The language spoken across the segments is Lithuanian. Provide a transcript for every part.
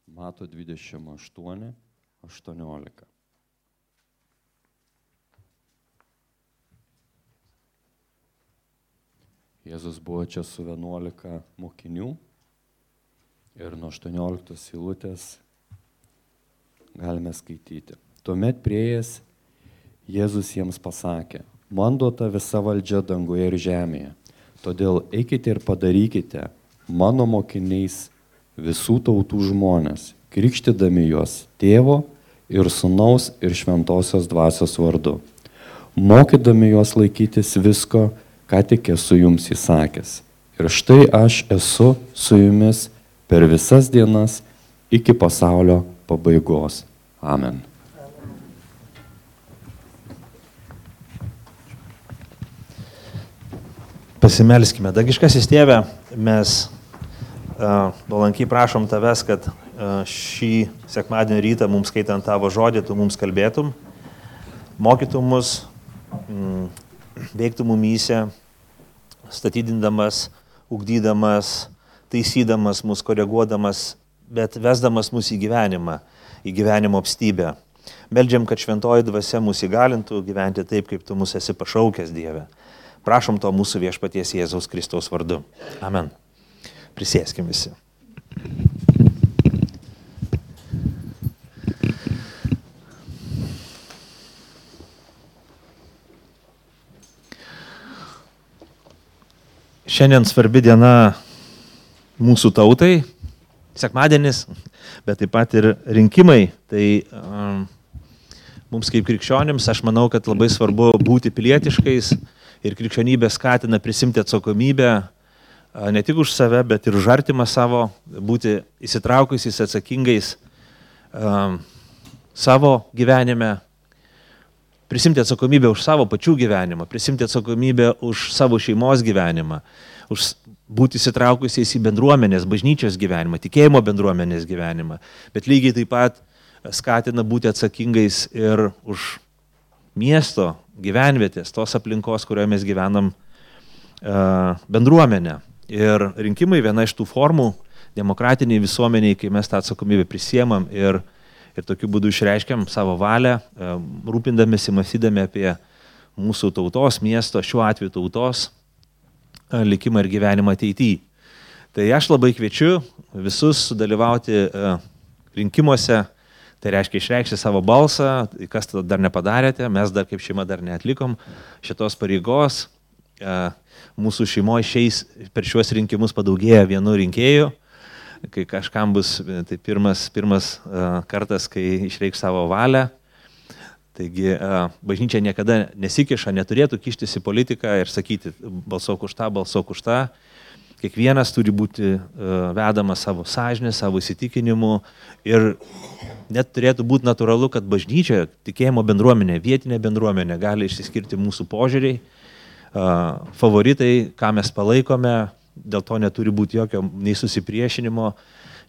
Mato 28, 18. Jėzus buvo čia su 11 mokinių ir nuo 18 eilutės galime skaityti. Tuomet priėjęs Jėzus jiems pasakė: man duota visa valdžia danguje ir žemėje, todėl eikite ir padarykite mano mokiniais visų tautų žmonės, krikštydami juos Tėvo ir Sūnaus ir Šventosios Dvasios vardu, mokydami juos laikytis visko, ką tik esu jums įsakęs. Ir štai aš esu su jumis per visas dienas iki pasaulio pabaigos. Amen. Pasimelskime. Dangiškasis Tėve, mes nuolankiai prašom Tavęs, kad šį sekmadienio rytą mums skaitant Tavo žodį, Tu mums kalbėtum, mokytum mus, veiktum mumyse, statydindamas, ugdydamas, taisydamas mus, koreguodamas, bet vesdamas mus į gyvenimo apstybę. Meldžiam, kad šventoji dvasia mus įgalintų gyventi taip, kaip Tu mus esi pašaukęs, Dieve. Prašom to mūsų viešpaties Jėzaus Kristaus vardu. Amen. Prisėskim visi. Šiandien svarbi diena mūsų tautai, sekmadienis, bet taip pat ir rinkimai. Tai mums kaip krikščionims, aš manau, kad labai svarbu būti pilietiškais ir krikščionybė skatina prisimti atsakomybę ne tik už save, bet ir už artimą savo, būti įsitraukusiais, atsakingais savo gyvenime, prisimti atsakomybę už savo pačių gyvenimą, prisimti atsakomybę už savo šeimos gyvenimą, už būti įsitraukusiais į bendruomenės, bažnyčios gyvenimą, tikėjimo bendruomenės gyvenimą, bet lygiai taip pat skatina būti atsakingais ir už miesto, gyvenvietės, tos aplinkos, kurioje mes gyvenam bendruomenę. Ir rinkimai viena iš tų formų demokratiniai visuomeniai, kai mes tą atsakomybę prisiemam ir tokiu būdu išreiškiam savo valią, rūpindamėsi, mąstydami apie mūsų tautos, miesto, šiuo atveju tautos likimą ir gyvenimą ateityje. Tai aš labai kviečiu visus sudalyvauti rinkimuose. Tai reiškia išreikšti savo balsą, kas to dar nepadarėte, mes dar kaip šeima dar neatlikom šitos pareigos. Mūsų šeimoje šiais per šiuos rinkimus padaugėja vienu rinkėju, kai kažkam bus tai pirmas kartas, kai išreikš savo valią. Taigi bažnyčia niekada nesikiša, neturėtų kištis į politiką ir sakyti balsuok už tą, balsuok už tą. Kiekvienas turi būti vedamas savo sąžinę, savo įsitikinimu ir net turėtų būti natūralu, kad bažnyčia, tikėjimo bendruomenė, vietinė bendruomenė gali išsiskirti mūsų požiūriai, favoritai, ką mes palaikome, dėl to neturi būti jokio nei susipriešinimo,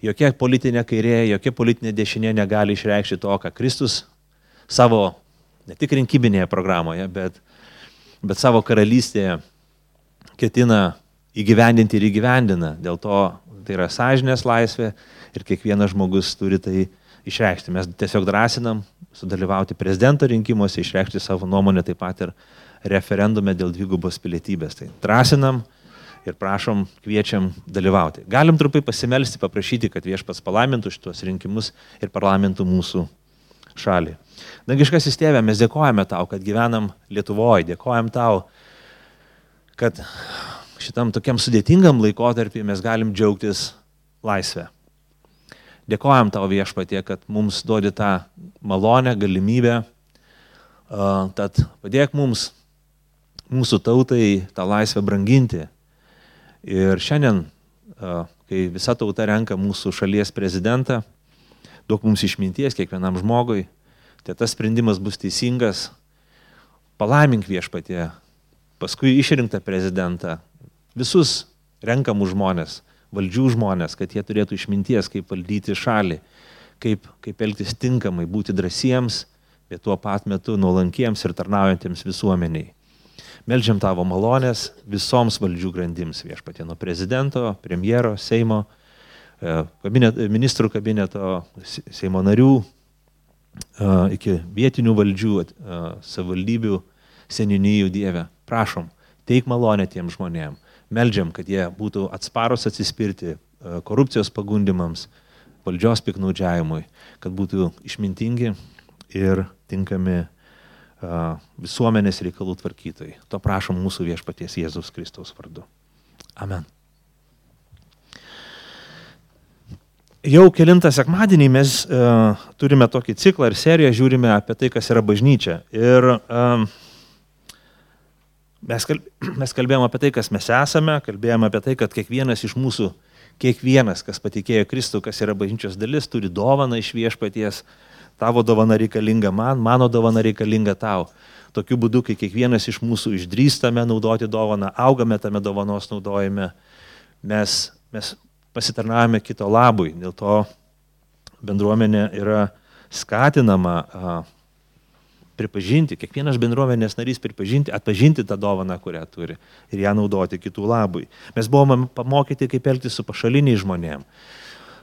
jokia politinė kairė, jokia politinė dešinė negali išreikšti to, ką Kristus savo, ne tik rinkiminėje programoje, bet savo karalystėje ketina įgyvendinti ir įgyvendina. Dėl to tai yra sąžinės laisvė ir kiekvienas žmogus turi tai išreikšti. Mes tiesiog drąsinam sudalyvauti prezidento rinkimuose, išreikšti savo nuomonę taip pat ir referendume dėl dvigubos pilietybės. Tai drąsinam ir prašom, kviečiam dalyvauti. Galim trumpai pasimelsti, paprašyti, kad Viešpats palaimintų šitos rinkimus ir parlamentų mūsų šalį. Dangiškasis Tėve, mes dėkojame Tau, kad gyvenam Lietuvoje, dėkojam Tau, kad šitam tokiam sudėtingam laikotarpį mes galim džiaugtis laisvę. Dėkojam Tau, Viešpatie, kad mums duodi tą malonę, galimybę, tad padėk mums, mūsų tautai, tą laisvę branginti. Ir šiandien, kai visa tauta renka mūsų šalies prezidentą, duok mums išminties kiekvienam žmogui, tai tas sprendimas bus teisingas. Palaimink, Viešpatie, paskui išrinktą prezidentą, visus renkamų žmonės, valdžių žmonės, kad jie turėtų išminties, kaip valdyti šalį, kaip elgtis tinkamai, būti drąsiems, bet tuo pat metu nuolankiems ir tarnaujantiems visuomeniai. Meldžiam Tavo malonės visoms valdžių grandims, Viešpatie, nuo prezidento, premjero, Seimo, ministrų kabineto, Seimo narių, iki vietinių valdžių, savivaldybių, seniūnijų, Dieve. Prašom, teik malonę tiem žmonėm. Meldžiam, kad jie būtų atsparus atsispirti korupcijos pagundimams, valdžios piknaudžiavimui, kad būtų išmintingi ir tinkami visuomenės reikalų tvarkytojai. To prašom mūsų viešpaties Jėzaus Kristaus vardu. Amen. Jau kelintą sekmadienį mes turime tokį ciklą ir seriją, žiūrime apie tai, kas yra bažnyčia. Ir mes kalbėjome apie tai, kas mes esame, kalbėjome apie tai, kad kiekvienas iš mūsų, kiekvienas, kas patikėjo Kristų, kas yra bažnyčios dalis, turi dovaną iš viešpaties. Tavo dovana reikalinga man, mano dovana reikalinga tau. Tokiu būdu, kai kiekvienas iš mūsų išdrįstame naudoti dovaną, augame tame dovanos naudojime, mes pasitarnaujame kito labui. Dėl to bendruomenė yra skatinama pripažinti, kiekvienas bendruomenės narys atpažinti tą dovaną, kurią turi ir ją naudoti kitų labui. Mes buvome pamokyti, kaip elgtis su pašaliniais žmonėm.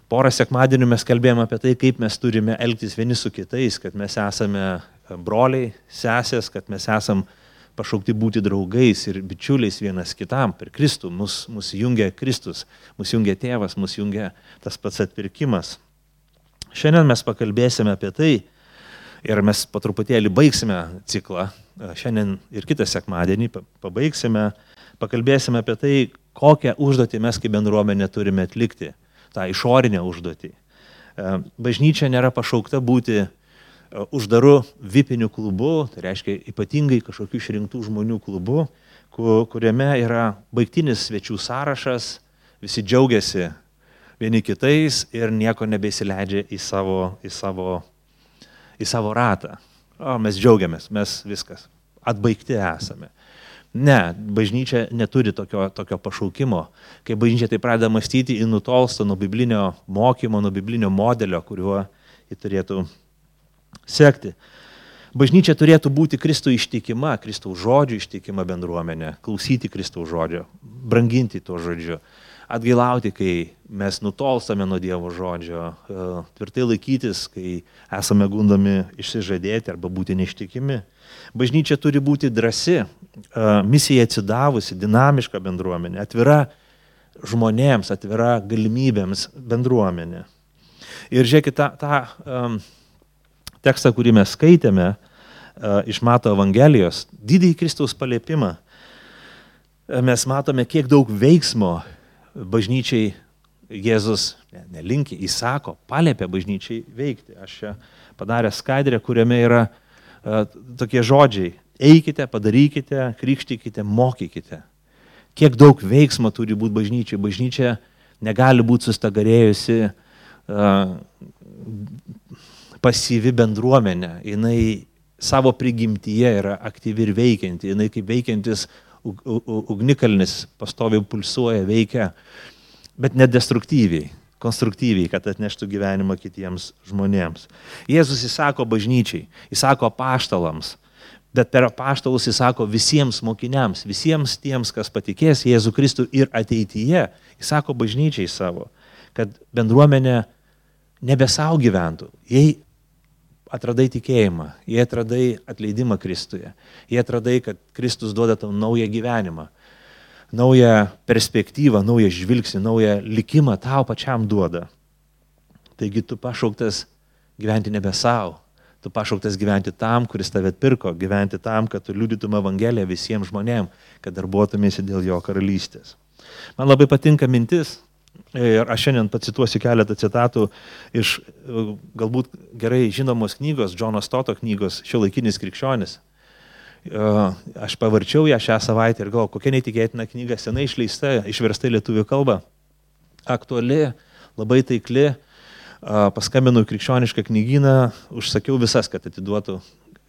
Porą sekmadienių mes kalbėjome apie tai, kaip mes turime elgtis vieni su kitais, kad mes esame broliai, sesės, kad mes esam pašaukti būti draugais ir bičiuliais vienas kitam per Kristų. Mus jungia Kristus, mus jungia Tėvas, mus jungia tas pats atpirkimas. Šiandien mes pakalbėsime apie tai ir mes po truputėlį baigsime ciklą. Šiandien ir kitą sekmadienį pabaigsime, pakalbėsime apie tai, kokią užduotį mes kaip bendruomenė turime atlikti, tą išorinę užduotį. Bažnyčia nėra pašaukta būti uždaru vipiniu klubu, tai reiškia ypatingai kažkokių išrinktų žmonių klubu, kuriame yra baigtinis svečių sąrašas, visi džiaugiasi vieni kitais ir nieko nebeįsileidžia į savo ratą. Mes džiaugiamės, mes viskas, atbaigti esame. Ne, bažnyčia neturi tokio pašaukimo. Kai bažnyčia tai pradeda mąstyti, ji nutolsta nuo biblinio mokymo, nuo biblinio modelio, kuriuo ji turėtų sekti. Bažnyčia turėtų būti Kristų ištikima, Kristaus žodžių ištikima bendruomenė, klausyti Kristaus žodžio, branginti to žodžiu, atgailauti, kai mes nutolstame nuo Dievo žodžio, tvirtai laikytis, kai esame gundomi išsižadėti arba būti neištikimi. Bažnyčia turi būti drąsi, misija atsidavusi, dinamiška bendruomenė, atvira žmonėms, atvira galimybėms bendruomenė. Ir žiūrėkit, tą tekstą, kurį mes skaitėme iš Mato Evangelijos, didįjį Kristaus paliepimą, mes matome, kiek daug veiksmo bažnyčiai Jėzus nelinki, įsako, paliepia bažnyčiai veikti. Aš čia padaręs skaidrę, kuriame yra tokie žodžiai: eikite, padarykite, krikštykite, mokykite. Kiek daug veiksmo turi būti bažnyčiai. Bažnyčia negali būti sustagarėjusi pasyvi bendruomenė. Jinai savo prigimtyje yra aktyvi ir veikianti. Jinai kaip veikiantis ugnikalnis pastoviai pulsuoja, veikia, bet nedestruktyviai, konstruktyviai, kad atneštų gyvenimą kitiems žmonėms. Jėzus įsako bažnyčiai, įsako apaštalams, bet per apaštalus įsako visiems mokiniams, visiems tiems, kas patikės Jėzų Kristų ir ateityje, įsako bažnyčiai savo, kad bendruomenė nebe savo gyventų. Jei atradai tikėjimą, jei atradai atleidimą Kristuje, jei atradai, kad Kristus duoda tau naują gyvenimą, naują perspektyvą, naują žvilgsnį, naują likimą tau pačiam duoda. Taigi tu pašauktas gyventi nebe savo, tu pašauktas gyventi tam, kuris tave atpirko, gyventi tam, kad tu liudytum Evangeliją visiems žmonėms, kad darbuotumėsi dėl jo karalystės. Man labai patinka mintis, ir aš šiandien pacituosiu keletą citatų iš galbūt gerai žinomos knygos, Džono Stoto knygos Šiuolaikinis krikščionis. Aš pavarčiau ją šią savaitę ir galvoju, kokia neįtikėtina knyga, senai išleista, išversta į lietuvių kalbą, aktuali, labai taikli. Paskambinau krikščionišką knygyną, užsakiau visas, kad atiduotų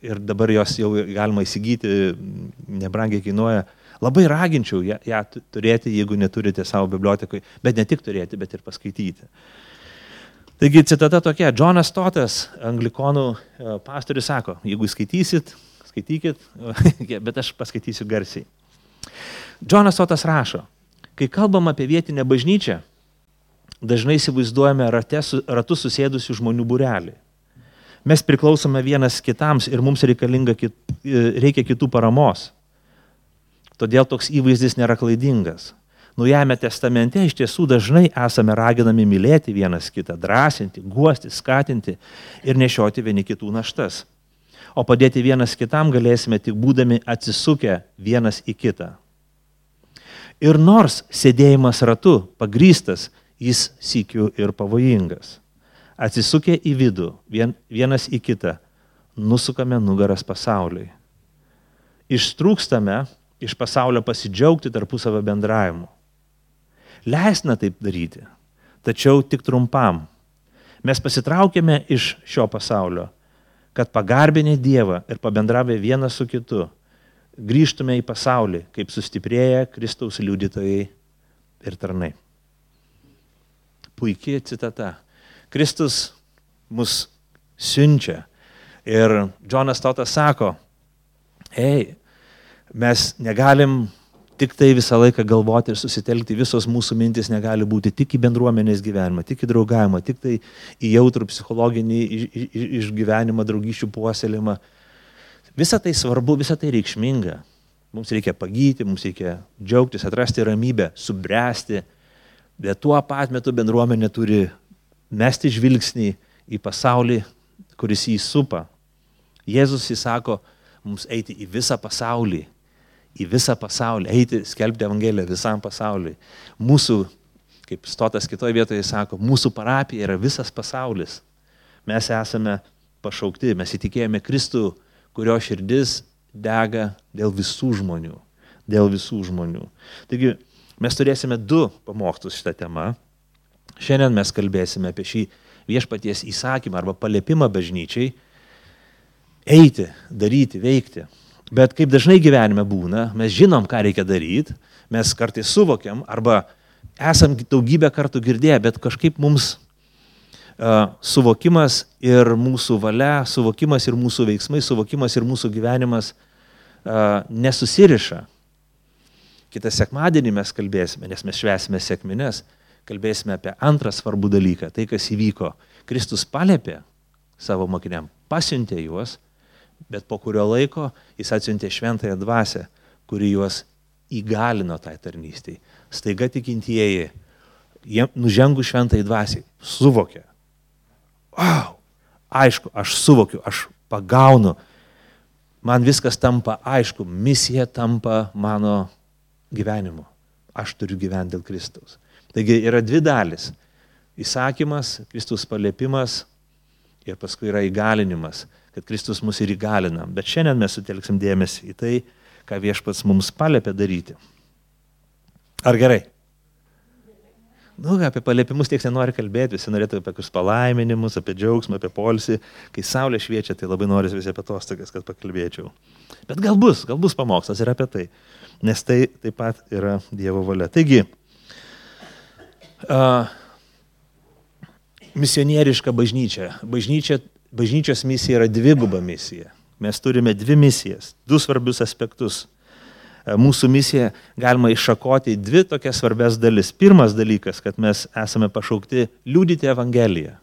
ir dabar jos jau galima įsigyti, nebrangiai kainuoja. Labai raginčiau ją turėti, jeigu neturite savo bibliotekoje, bet ne tik turėti, bet ir paskaityti. Taigi citata tokia: Džonas Stotas, anglikonų pastorius, sako, jeigu skaitysit, skaitykit, bet aš paskaitysiu garsiai. Džonas Stotas rašo: kai kalbam apie vietinę bažnyčią, dažnai įsivaizduojame ratu susėdusių žmonių būrelį. Mes priklausome vienas kitams ir mums reikia kitų paramos. Todėl toks įvaizdis nėra klaidingas. Naujajame testamente iš tiesų dažnai esame raginami mylėti vienas kitą, drąsinti, guosti, skatinti ir nešioti vieni kitų naštas. O padėti vienas kitam galėsime tik būdami atsisukę vienas į kitą. Ir nors sėdėjimas ratu pagrįstas, jis sykiu ir pavojingas. Atsisukę į vidų, vienas į kitą, nusukame nugaras pasauliui. Ištrūkstame iš pasaulio pasidžiaugti tarpusavio bendravimu. Leisna taip daryti, tačiau tik trumpam. Mes pasitraukėme iš šio pasaulio, kad pagarbinę Dievą ir pabendravę vienas su kitu, grįžtume į pasaulį, kaip sustiprėję Kristaus liudytojai ir tarnai. Puikiai citata. Kristus mus siunčia ir Džonas Stotas sako, mes negalim tik tai visą laiką galvoti ir susitelkti, visos mūsų mintis negali būti tik į bendruomenės gyvenimą, tik į draugavimą, tik tai į jautrų psichologinį išgyvenimą, draugysčių puoselėjimą. Visa tai svarbu, visa tai reikšminga. Mums reikia pagyti, mums reikia džiaugtis, atrasti ramybę, subręsti, bet tuo pat metu bendruomenė turi mesti žvilgsnį į pasaulį, kuris jį supa. Jėzus įsako mums eiti į visą pasaulį, eiti skelbti Evangeliją visam pasauliui. Mūsų, kaip Stotas kitoje vietoje sako, mūsų parapija yra visas pasaulis. Mes esame pašaukti, mes įtikėjome Kristų, kurio širdis dega dėl visų žmonių. Taigi, mes turėsime 2 pamokslus šitą temą. Šiandien mes kalbėsime apie šį viešpaties įsakymą arba paliepimą bažnyčiai eiti, daryti, veikti. Bet kaip dažnai gyvenime būna, mes žinom, ką reikia daryti, mes kartais suvokiam arba esam daugybę kartų girdėję, bet kažkaip mums suvokimas ir mūsų valia, suvokimas ir mūsų veiksmai, suvokimas ir mūsų gyvenimas nesusiriša. Kitą sekmadienį mes kalbėsime, nes mes švęsime sekmines, kalbėsime apie antrą svarbų dalyką, tai kas įvyko. Kristus paliepė savo mokiniam, pasiuntė juos, bet po kurio laiko jis atsiuntė šventąją dvasią, kuri juos įgalino tai tarnystei. Staiga tikintieji, nužengus šventai dvasiai, suvokė. Aišku, aš suvokiu, aš pagaunu, man viskas tampa aišku, misija tampa mano gyvenimu. Aš turiu gyventi dėl Kristaus. Taigi yra 2 dalis. Įsakymas, Kristus paliepimas ir paskui yra įgalinimas, kad Kristus mus ir įgalina. Bet šiandien mes sutelksim dėmesį į tai, ką viešpats mums paliepė daryti. Ar gerai? Apie paliepimus tiek nenori kalbėti, visi norėtų apie kokius palaiminimus, apie džiaugsmą, apie poilsį. Kai saulė šviečia, tai labai norisi visi apie atostogas, kad pakalbėčiau. Bet gal bus pamokslas ir apie tai, nes tai taip pat yra Dievo valia. Taigi, misionieriška bažnyčia. Bažnyčios misija yra 2 misija. Mes turime 2 misijas, 2 svarbius aspektus. Mūsų misiją galima iššakoti į 2 tokias svarbias dalis. Pirmas dalykas, kad mes esame pašaukti liudyti Evangeliją.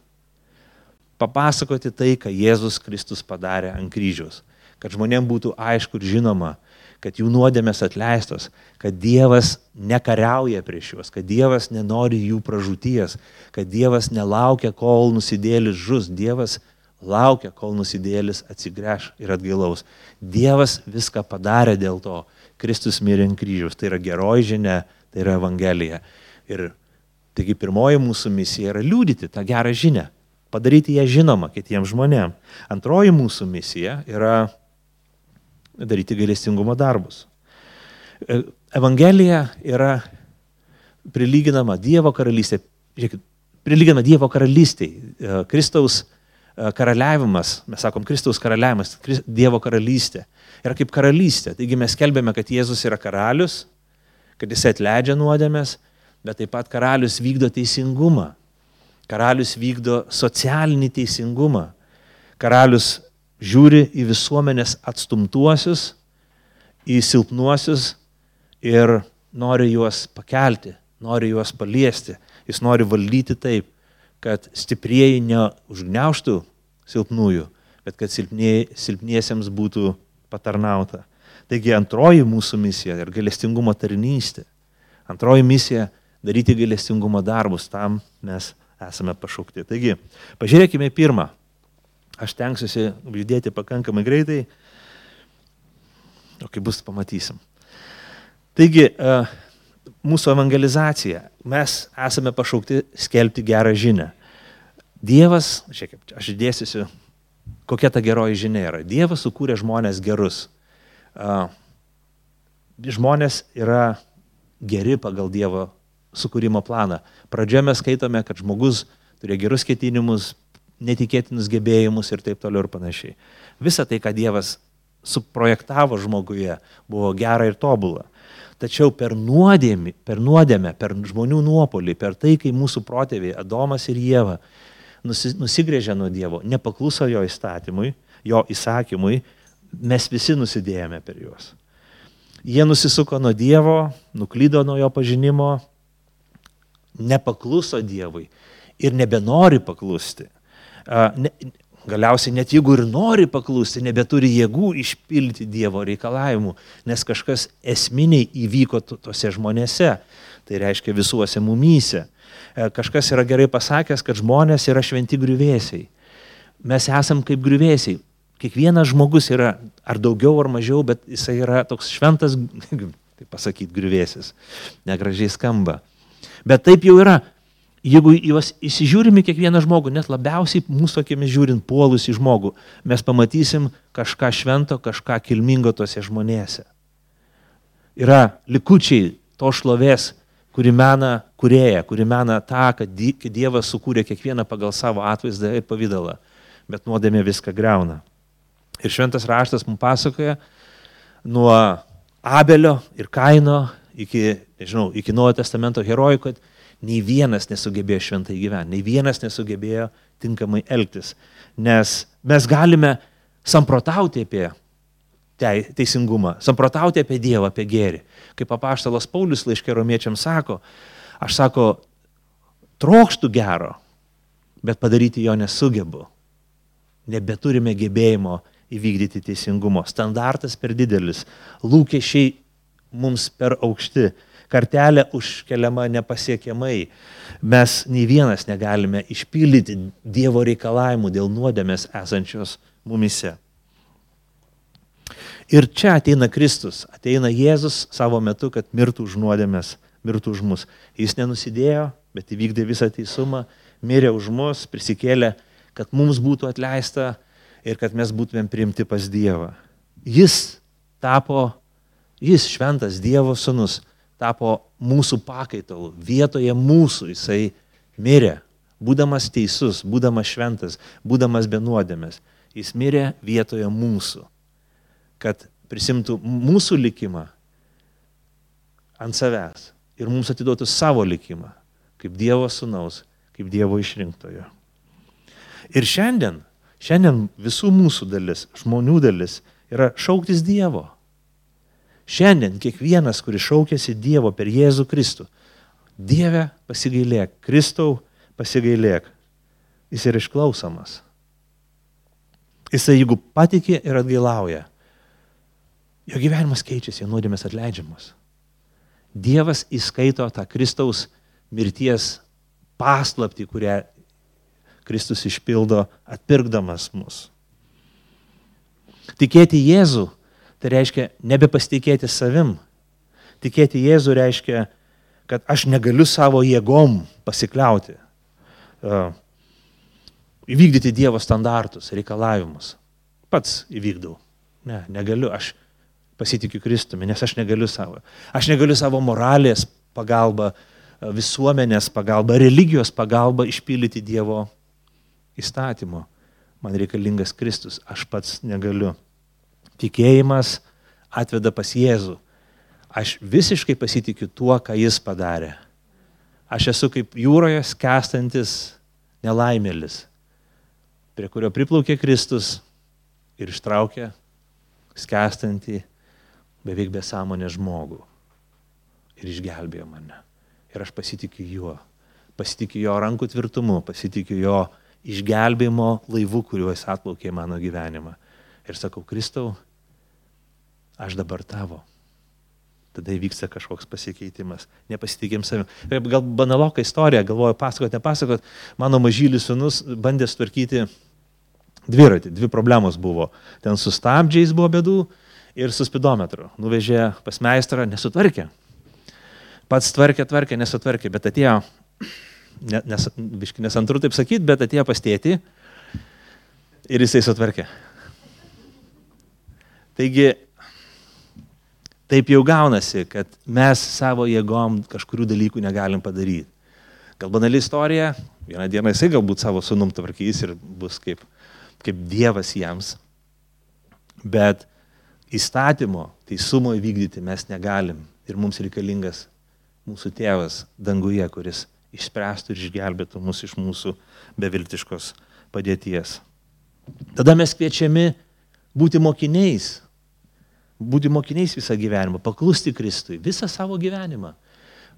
Papasakoti tai, ką Jėzus Kristus padarė ant kryžiaus. Kad žmonėms būtų aišku ir žinoma, kad jų nuodėmės atleistos, kad Dievas nekariauja prieš juos, kad Dievas nenori jų pražūties, kad Dievas nelaukia, kol nusidėlis žus. Dievas laukia, kol nusidėlis atsigręš ir atgailaus. Dievas viską padarė dėl to. Kristus mirė ant kryžiaus. Tai yra geroji žinia, tai yra Evangelija. Ir taigi pirmoji mūsų misija yra liudyti tą gerą žinią, padaryti ją žinomą kitiems žmonėms. Antroji mūsų misija yra daryti gailestingumo darbus. Evangelija yra prilyginama Dievo karalystė. Žiūrėkit, prilyginama Dievo karalystėj. Kristaus karaliavimas, mes sakom Kristaus karaliavimas, Dievo karalystė. Yra kaip karalystė. Taigi mes skelbėme, kad Jėzus yra karalius, kad jis atleidžia nuodėmės, bet taip pat karalius vykdo teisingumą. Karalius vykdo socialinį teisingumą. Karalius žiūri į visuomenės atstumtuosius, į silpnuosius ir nori juos pakelti, nori juos paliesti. Jis nori valdyti taip, kad stiprieji neužgniaužtų silpnųjų, bet kad silpniesiems būtų patarnauta. Taigi antroji mūsų misija ir gailestingumo tarnystė. Antroji misija – daryti gailestingumo darbus, tam mes esame pašaukti. Taigi, pažiūrėkime pirmą. Aš tenksiuosi judėti pakankamai greitai, o kai bus, pamatysim. Taigi, mūsų evangelizacija. Mes esame pašaukti skelbti gerą žinią. Dievas, aš dėsiu, kokia ta geroji žinia yra. Dievas sukūrė žmonės gerus. Žmonės yra geri pagal Dievo sukūrimo planą. Pradžioje mes skaitome, kad žmogus turėjo gerus ketinimus, netikėtinus gebėjimus ir taip toliau ir panašiai. Visa tai, ką Dievas suprojektavo žmoguje, buvo gera ir tobula. Tačiau per nuodėmę, per žmonių nuopolį, per tai, kai mūsų protėviai Adomas ir Ieva nusigrėžė nuo Dievo, nepakluso jo įstatymui, jo įsakymui, mes visi nusidėjome per juos. Jie nusisuko nuo Dievo, nuklydo nuo jo pažinimo, nepakluso Dievui ir nebenori paklusti. Galiausiai net jeigu ir nori paklusti, nebeturi jėgų išpildyti Dievo reikalavimų, nes kažkas esminiai įvyko tose žmonėse, tai reiškia visuose mumyse. Kažkas yra gerai pasakęs, kad žmonės yra šventi griuvėsiai. Mes esam kaip griuvėsiai. Kiekvienas žmogus yra ar daugiau ar mažiau, bet jisai yra toks šventas, taip pasakyti, griuvėsis. Negražiai skamba. Bet taip jau yra. Jeigu juos įsižiūrime kiekvieną žmogų, net labiausiai mūsų akimis žiūrint puolus į žmogų, mes pamatysim kažką švento, kažką kilmingo tose žmonėse. Yra likučiai to šlovės, kuri mena kūrėją, kuri mena tą, kad Dievas sukūrė kiekvieną pagal savo atvaizdą ir pavydalą, bet nuodėmė viską griauna. Ir šventas raštas mums pasakoja nuo Abelio ir Kaino iki Naujojo testamento herojų, kad nei vienas nesugebėjo šventai gyventi, nei vienas nesugebėjo tinkamai elgtis. Nes mes galime samprotauti apie teisingumą, samprotauti apie Dievą, apie gėrį. Kaip apaštalas Paulius laiške Romiečiams sako, aš trokštu gero, bet padaryti jo nesugebu. Nebeturime gebėjimo įvykdyti teisingumo. Standartas per didelis, lūkesčiai mums per aukšti. Kartelė užkeliama nepasiekiamai. Mes nei vienas negalime išpildyti Dievo reikalavimų dėl nuodėmės esančios mumise. Ir čia ateina Kristus, ateina Jėzus savo metu, kad mirtų už nuodėmės, mirtų už mus. Jis nenusidėjo, bet įvykdė visą teisumą, mirė už mus, prisikėlė, kad mums būtų atleista ir kad mes būtumėm priimti pas Dievą. Jis šventas Dievo sūnus, tapo mūsų pakaitalu, vietoje mūsų jisai mirė, būdamas teisus, būdamas šventas, būdamas be nuodėmės. Jis mirė vietoje mūsų, kad prisimtų mūsų likimą ant savęs ir mums atiduotų savo likimą, kaip Dievo sūnaus, kaip Dievo išrinktojo. Ir šiandien visų mūsų dalis, žmonių dalis, yra šauktis Dievo. Šiandien kiekvienas, kuris šaukėsi Dievo per Jėzų Kristų, Dieve pasigailėk, Kristau pasigailėk, jis yra išklausomas. Jisai, jeigu patikė ir atgailauja, jo gyvenimas keičiasi, jo nuodėmės atleidžiamos. Dievas įskaito tą Kristaus mirties paslaptį, kurią Kristus išpildo atpirkdamas mus. Tikėti Jėzų, tai reiškia nebepasitikėti savim. Tikėti Jėzų reiškia, kad aš negaliu savo jėgom pasikliauti, įvykdyti Dievo standartus, reikalavimus. Pats įvykdau. Ne, negaliu, aš pasitikiu Kristumi, nes aš negaliu savo. Aš negaliu savo moralės pagalba, visuomenės pagalba, religijos pagalba išpildyti Dievo įstatymo. Man reikalingas Kristus, aš pats negaliu. Tikėjimas atveda pas Jėzų. Aš visiškai pasitikiu tuo, ką Jis padarė. Aš esu kaip jūroje skęstantis nelaimėlis, prie kurio priplaukė Kristus ir ištraukė skęstantį beveik besąmonę žmogų ir išgelbėjo mane. Ir aš pasitikiu juo. pasitikiu jo rankų tvirtumu, pasitikiu jo išgelbėjimo laivu, kuriuo jis atplaukė mano gyvenimą. Ir sakau, Kristau, aš dabar tavo. Tada įvyksta kažkoks pasikeitimas. Nepasitikėm savim. Gal banaloka istorija, galvoju, nepasakot. Mano mažylis sūnus bandė sutvarkyti dviratį. 2 problemos buvo. Ten su stabdžiais buvo bėdų ir su spidometru. Nuvežė pas meistrą, nesutvarkė. Pats tvarkė, nesutvarkė, bet atėjo, nesantru taip sakyti, bet atėjo pas tėtį ir jisai sutvarkė. Taigi, taip jau gaunasi, kad mes savo jėgom kažkurių dalykų negalim padaryti. Gal banali istorija, vieną dieną jisai galbūt savo sūnum tvarkys ir bus kaip Dievas jiems. Bet įstatymo, teisumo įvykdyti mes negalim. Ir mums reikalingas mūsų tėvas danguje, kuris išspręstų ir išgelbėtų mus iš mūsų beviltiškos padėties. Tada mes kviečiami būti mokiniais. Būti mokiniais visą gyvenimą, paklusti Kristui, visą savo gyvenimą.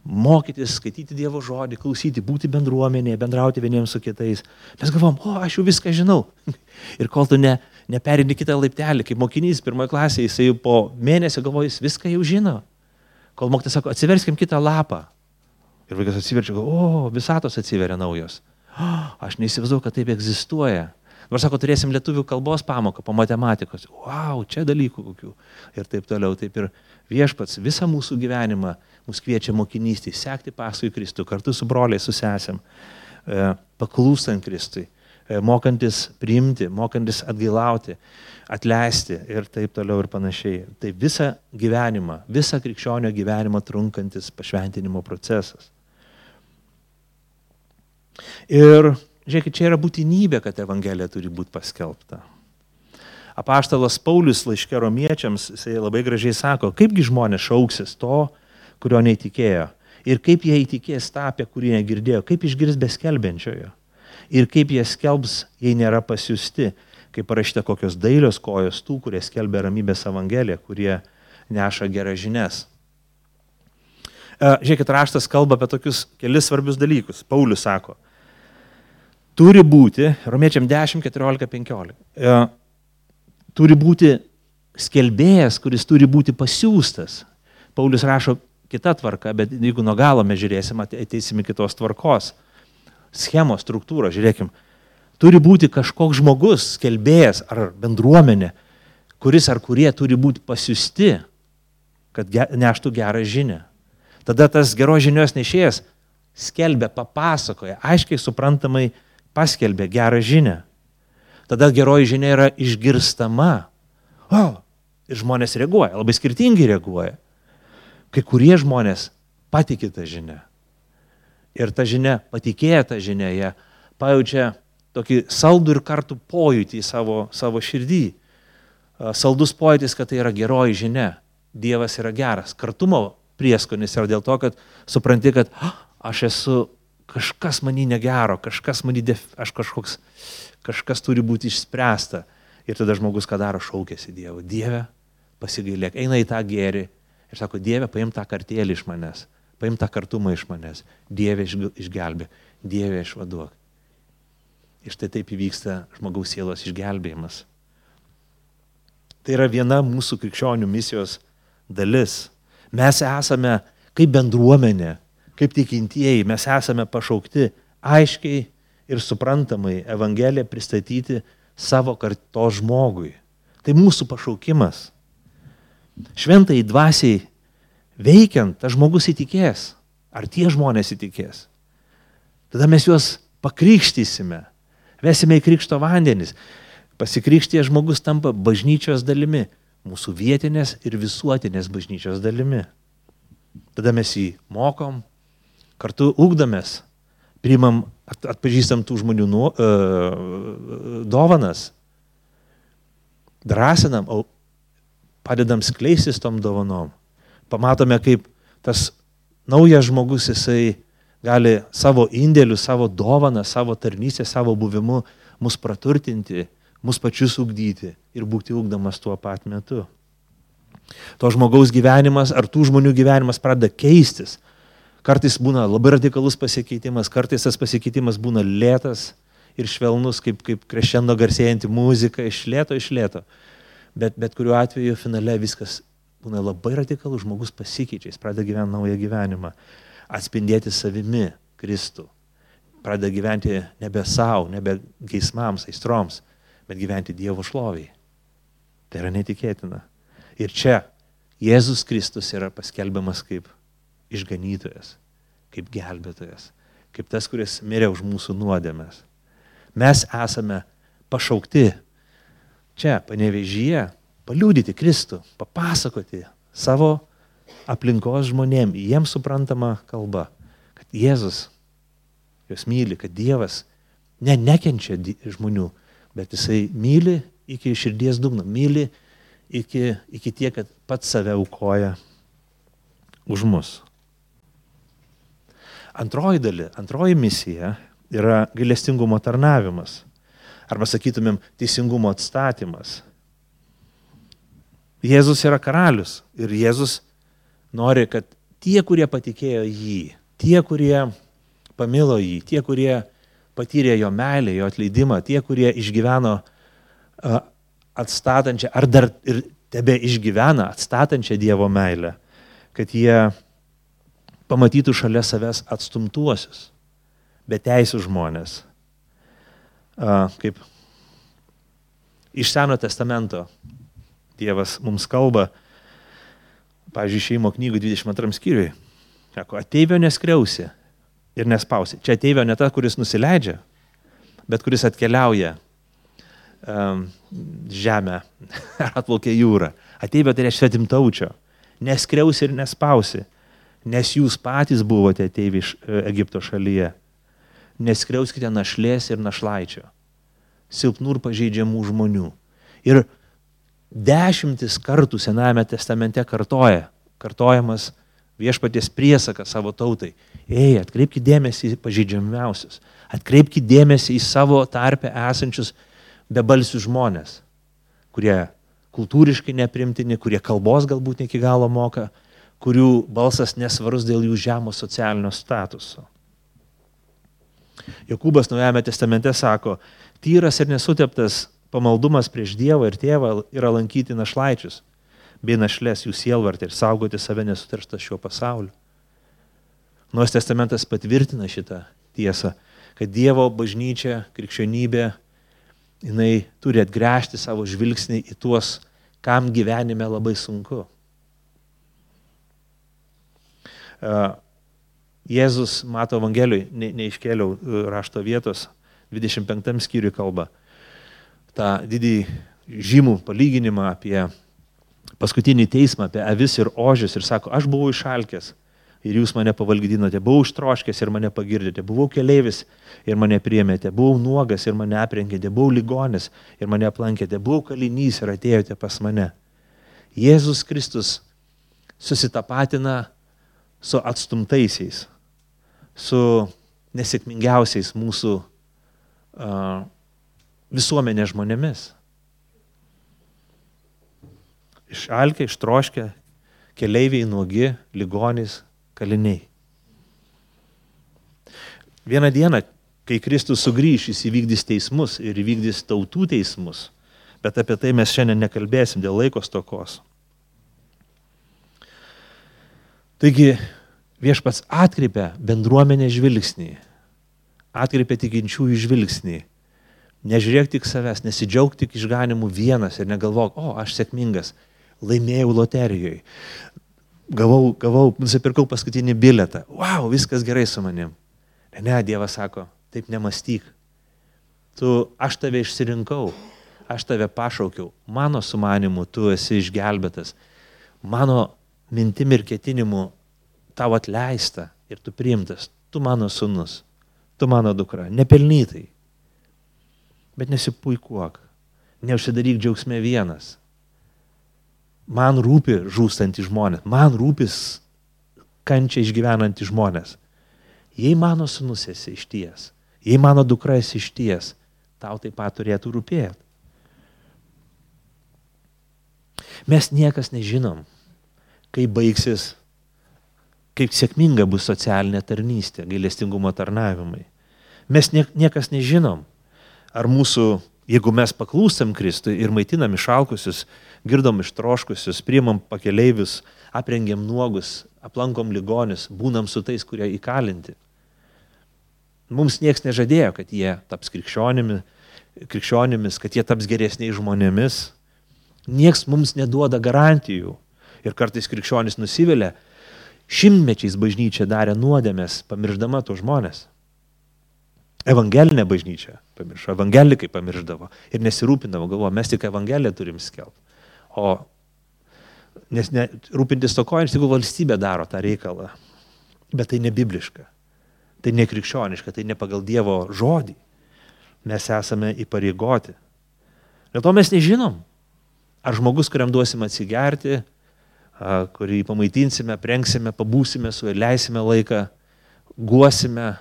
Mokytis, skaityti Dievo žodį, klausyti, būti bendruomenėje, bendrauti vieniems su kitais. Mes galvom, aš jau viską žinau. Ir kol tu neperini kitą laiptelį, kaip mokinys 1 klasėje, jisai po mėnesio galvoja, jis viską jau žino. Kol mokytas sako, atsiverskim kitą lapą. Ir vaikas atsiverčia, visatos atsiveria naujos. Aš neįsivaizduoju, kad taip egzistuoja. Dabar sako, turėsim lietuvių kalbos pamoką po matematikos. Čia dalykų kokių. Ir taip toliau. Taip ir Viešpats visą mūsų gyvenimą mus kviečia mokinystį, sekti paskui Kristų, kartu su broliais, su sesėm, paklūstant Kristui, mokantis priimti, mokantis atgailauti, atleisti ir taip toliau ir panašiai. Tai visą gyvenimą, visą krikščionio gyvenimą trunkantis pašventinimo procesas. Ir žiūrėkit, čia yra būtinybė, kad Evangelija turi būti paskelbta. Apaštalas Paulius laiške Romiečiams, jisai labai gražiai sako, kaipgi žmonės šauksis to, kurio neįtikėjo. Ir kaip jie įtikės tą, apie kurį negirdėjo, kaip išgirs be skelbiančiojo. Ir kaip jie skelbs, jei nėra pasiųsti, kaip parašyta kokios dailios kojos tų, kurie skelbia ramybės Evangeliją, kurie neša geras žinias. Žiūrėkit, raštas kalba apie tokius kelis svarbius dalykus. Paulius sako, turi būti, Romiečiam 10, 14, 15, turi būti skelbėjas, kuris turi būti pasiųstas. Paulius rašo kita tvarka, bet jeigu nuo galo mes žiūrėsim, ateisim į kitos tvarkos. Schemos, struktūra, žiūrėkim. Turi būti kažkoks žmogus, skelbėjas ar bendruomenė, kuris ar kurie turi būti pasiųsti, kad neštų gerą žinią. Tada tas geros žinios nešėjas skelbia, papasakoja, aiškiai suprantamai paskelbė gerą žinią. Tada geroji žinia yra išgirstama. Ir žmonės reaguoja, labai skirtingai reaguoja. Kai kurie žmonės patikė tą žinią. Ir ta žinia, patikėję tą žinią, jie pajaučia tokį saldų ir kartų pojūtį į savo širdį. Saldus pojūtis, kad tai yra geroji žinia. Dievas yra geras. Kartumo prieskonis yra dėl to, kad supranti, kad aš esu kažkas manį negero, kažkas turi būti išspręsta. Ir tada žmogus ką daro, šaukėsi Dievo. Dieve, pasigailėk, eina į tą gėrį ir sako, Dieve, paim tą kartėlį iš manęs, paim tą kartumą iš manęs, Dieve išgelbė, Dieve išvaduok. Ir štai taip įvyksta žmogaus sielos išgelbėjimas. Tai yra viena mūsų krikščionių misijos dalis. Mes esame kaip bendruomenė, kaip tikintieji, mes esame pašaukti aiškiai ir suprantamai Evangeliją pristatyti savo kartos žmogui. Tai mūsų pašaukimas. Šventai dvasiai veikiant, tas žmogus įtikės. Ar tie žmonės įtikės? Tada mes juos pakrikštysime, vesime į krikšto vandenis. Pasikrikštyje žmogus tampa bažnyčios dalimi, mūsų vietinės ir visuotinės bažnyčios dalimi. Tada mes jį mokom, kartu ugdomės, priimam, atpažįstam tų žmonių dovanas, drąsinam, padedam skleistis tom dovanom. Pamatome, kaip tas naujas žmogus, jisai gali savo indėliu, savo dovaną, savo tarnystę, savo buvimu mus praturtinti, mus pačius ugdyti ir būti ugdomas tuo pat metu. To žmogaus gyvenimas ar tų žmonių gyvenimas pradeda keistis. Kartais būna labai radikalus pasikeitimas, kartais tas pasikeitimas būna lėtas ir švelnus, kaip krešendo garsėjanti muzika, iš lėto. Bet kuriuo atveju finale viskas būna labai radikalus, žmogus pasikeičia, jis pradeda gyventi naują gyvenimą, atspindėti savimi Kristų, pradeda gyventi nebe savo, nebe geismams, aistroms, bet gyventi Dievo šloviai. Tai yra netikėtina. Ir čia Jėzus Kristus yra paskelbiamas kaip išganytojas, kaip gelbėtojas, kaip tas, kuris mirė už mūsų nuodėmes. Mes esame pašaukti čia, Panevėžyje, paliudyti Kristų, papasakoti savo aplinkos žmonėm, jiems suprantama kalba, kad Jėzus juos myli, kad Dievas nekenčia žmonių, bet jisai myli iki širdies dugno, myli iki tiek, kad pats save aukoja už mus. Antroji misija yra gailestingumo tarnavimas, arba sakytumėm teisingumo atstatymas. Jėzus yra karalius ir Jėzus nori, kad tie, kurie patikėjo jį, tie, kurie pamilo jį, tie, kurie patyrė jo meilę, jo atleidimą, tie, kurie išgyveno atstatančią, ar dar ir tebe išgyvena atstatančią Dievo meilę, kad jie pamatytų šalia savęs atstumtuosius, beteisius žmonės. Kaip iš Seno testamento Dievas mums kalba, pavyzdžiui, Išėjimo knygų 22 skyriui, sako, ateivio neskriausi ir nespausi. Čia ateivio ne ta, kuris nusileidžia, bet kuris atkeliauja žemę ar atplaukia jūrą. Ateivio tai reiškia svetimtaučio. Neskriausi ir nespausi, nes jūs patys buvote ateiviai iš Egipto šalyje. Neskriauskite našlės ir našlaičio, silpnų ir pažeidžiamų žmonių. Ir 10 kartų Senajame testamente kartojamas viešpaties priesakas savo tautai. Atkreipkite dėmesį į pažeidžiamiausius, atkreipkite dėmesį į savo tarpe esančius bebalsius žmonės, kurie kultūriškai neprimtini, kurie kalbos galbūt ne iki galo moka, kurių balsas nesvarus dėl jų žemo socialinio statuso. Jokūbas Naujajame testamente sako, tyras ir nesuteptas pamaldumas prieš Dievą ir Tėvą yra lankyti našlaičius, bei našlės jų sielvartį ir saugoti save nesuterštą šiuo pasauliu. Naujas testamentas patvirtina šitą tiesą, kad Dievo bažnyčia, krikščionybė, jinai turi atgręžti savo žvilgsnį į tuos, kam gyvenime labai sunku. Jėzus Mato Evangelijoj, neiškėliau rašto vietos, 25 skyriui kalba, tą didį žymų palyginimą apie paskutinį teismą, apie avis ir ožius ir sako, aš buvau išalkęs ir jūs mane pavalgydinote, buvau ištroškęs ir mane pagirdėte, buvau keleivis ir mane priėmėte, buvau nuogas ir mane aprengėte, buvau ligonis ir mane aplankėte, buvau kalinys ir atėjote pas mane. Jėzus Kristus susitapatina su atstumtaisiais, su nesėkmingiausiais mūsų visuomenės žmonėmis. Išalkę, ištroškę, keleiviai, nuogi, ligonys, kaliniai. Vieną dieną, kai Kristus sugrįš, jis įvykdys teismus ir įvykdys tautų teismus, bet apie tai mes šiandien nekalbėsim dėl laiko stokos. Taigi viešpats atkreipia bendruomenės žvilgsnį, atkreipia tikinčiųjų žvilgsnį. Nežiūrėk tik savęs, nesidžiauk tik išganimu vienas ir negalvok, aš sėkmingas, laimėjau loterijoje, nusipirkau paskutinį bilietą, viskas gerai su manim. Ne, Dievas sako, taip nemąstyk. Aš tave išsirinkau, aš tave pašaukiau, mano sumanimu tu esi išgelbėtas, mano mintim ir ketinimu tau atleista ir tu priimtas, tu mano sūnus, tu mano dukra, nepelnytai. Bet nesipuikuok, neužsidaryk džiaugsme vienas. Man rūpi žūstantys žmonės, man rūpis kančia išgyvenantys žmonės. Jei mano sūnus esi išties, jei mano dukra esi išties, tau taip pat turėtų rūpėti. Mes niekas nežinom, kaip baigsis kaip sėkminga bus socialinė tarnystė, gailestingumo tarnavimai. Mes niekas nežinom, ar mūsų, jeigu mes paklūstam Kristui ir maitinam išalkusius, girdom ištroškusius, priimam pakeleivius, aprengiam nuogus, aplankom ligonius, būnam su tais, kurie įkalinti. Mums nieks nežadėjo, kad jie taps krikščionimis, kad jie taps geresniais žmonėmis. Nieks mums neduoda garantijų. Ir kartais krikščionis nusivilia, šimtmečiais bažnyčia darė nuodėmės, pamirždama tos žmonės. Evangelinė bažnyčia pamiršo, evangelikai pamirždavo ir nesirūpindavo, galvoja, mes tik evangeliją turim skelbti. O nes rūpintis stokojant, tik valstybė daro tą reikalą. Bet tai ne bibliška, tai ne krikščioniška, tai ne pagal Dievo žodį. Mes esame įpareigoti. Dėl to mes nežinom, ar žmogus, kuriam duosim atsigerti, kurį pamaitinsime, prengsime, pabūsime su juo, leisime laiką, guosime,